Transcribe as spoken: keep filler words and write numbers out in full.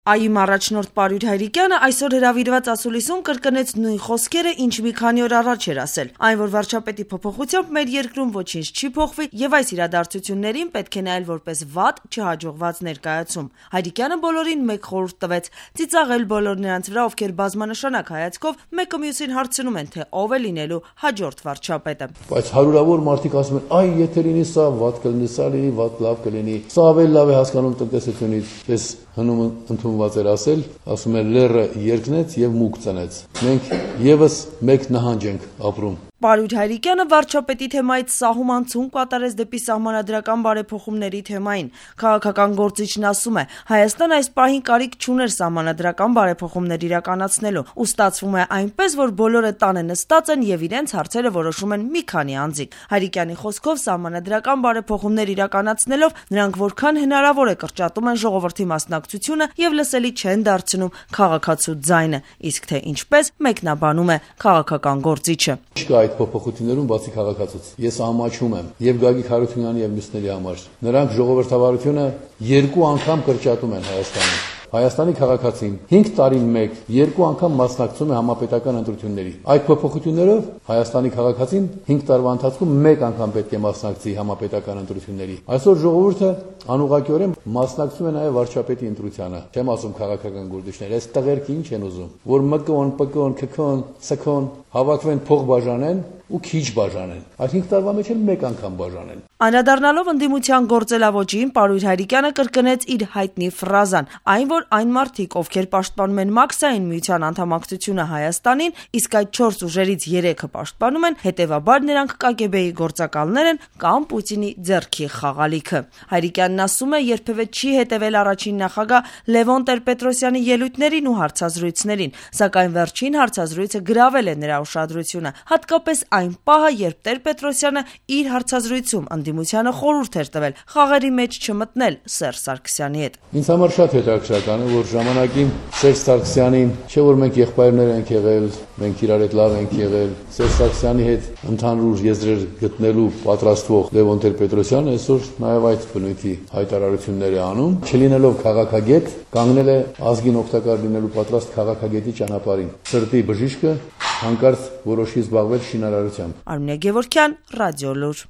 ԱԻ-մ առաջնորդ Պարույր Հայրիկյանը այսօր հրավիրված ասուլիսում կրկնեց նույն խոսքերը, ինչ մի քանի օր առաջ էր ասել, այն, որ վարչապետի փոփոխությամբ մեր երկրում ոչինչ չի փոխվի եւ այս իրադարձություններին պետք է նայել որպես վատ, չհաջողված ներկայացում։ Հայրիկյանը բոլորին մեկ խորհուրդ տվեց՝ ծիծաղել բոլոր նրանց վրա, ովքեր բազմանշանակ հայացքով մեկը մյուսին հարցնում են, թե ով է լինելու հաջորդ վարչապետը։ Բայց հարյուրավոր մարդիկ ասում են, այ եթե լինի սա, վատ կլինի, սա լինի, վատ լավ կլինի։ Սա ավելի լավ է հասկանում տնտեսությունից, ես հնում ընդունված էր ասել, ասում են լեռը երկնեց եւ մուկ ծնեց։ Մենք եւս մեկ նահանջ ենք ապրում։ Պարույր Հայրիկյանը վարչապետի թեմայից սահմանցում կատարեց դեպի սահմանադրական բարեփոխումների թեմային։ Քաղաքական գործիչն ասում է, Հայաստան այս պահին կարիք չուներ սահմանադրական բարեփոխումներ իրականացնելու, ու ստացվում է այնպես, որ բոլորը տանը նստած են եւ իրենց հարցերը որոշում են մի քանի անձիկ։ Հայրիկյանի խոսքով սահմանադրական բարեփոխումներ իրականացնելով նրանք որքան հնարավոր է կրճատում են ժողովրդի մասնակցությունը եւ լսելի չեն դարձնում քաղաքացու ձայնը, իսկ թե ինչպես մեկնաբանում է քաղաքական գործիչը։ Այդ փոփոխություններում բացի քաղաքացուց ես ամաչում եմ եւ Գագիկ Հարությունյանի եւ մյուսների համար նրանք ժողովրդավարությունը երկու անգամ կրճատում են Հայաստանում։ Հայաստանի քաղաքացին հինգ տարին մեկ երկու անգամ մասնակցում է համապետական ընտրությունների։ Այդ փոփոխություններով Հայաստանի քաղաքացին հինգ տարվա ընթացքում մեկ անգամ պետք է մասնակցի համապետական ընտրությունների։ Այսօր ժողովուրդը անուղղակիորեն մասնակցում է նաև վարչապետի ընտրությանը։ Չեմ ասում քաղաքական գործիչներ, այս տղերք ինչ են ուզում, որ ՄԿՕ-ն, ՊԿՕ-ն, ՔՔՕ-ն, ՍՔՕ-ն հավաքվեն փող բաժանեն ու քիչ բաժանեն։ Այդ հինգ տարվա մեջ էլ մեկ անգամ բաժանեն։ Անդրադառնալով ընդդիմության գործելավոճին, Պարույր Հայրիկյանը կրկնեց իր հայտնի ֆրազան, այն որ այն մարդիկ, ովքեր պաշտպանում են մաքսային միության անդամակցությունը Հայաստանին, իսկ այդ չորս ուժերից երեքը պաշտպանում են, հետևաբար նրանք ԿԳԲ-ի գործակալներ են կամ Պուտինի ձեռքի խաղալիքը։ Հայրիկյանն ասում է, երբևէ չի հետևել առաջին նախագահ Լևոն Տեր-Պետրոսյանի ելույթներին ու հարցազրույցներին, սակայն վերջին հարցազրույցը գրավել է նրա ուշադրությունը, հատկապես այն պահը, երբ Տեր-Պետրոսյանը իր հարցազրույցում ընդդիմությանը խորհուրդ էր տվել խաղերի մեջ չմտնել Սերժ Սարգսյանի հետ։ Ինձ համար շատ հետաքրքրական է, որ ժամանակին Սերժ Սարգսյանին, չէ որ մենք եղբայրներ ենք եղել, մենք իրար հետ լավ ենք եղել, Սերժ Սարգսյանի հետ ընդհանուր եզրեր գտնելու պատրաստվող Լևոն Տեր-Պետրոսյանը այսօր նաև այդ բնույթի հայտարարություններ է անում, չլինելով քաղաքագետ, կանգնել է ազգին օգտակար լինելու պատրաստ քաղաքագետի ճանապարհին։ Սրտի բժիշկը հանկարծ որոշի զբաղվել շինարարությամբ։ Արմինե Գևորգյան, Ռադիոլուր։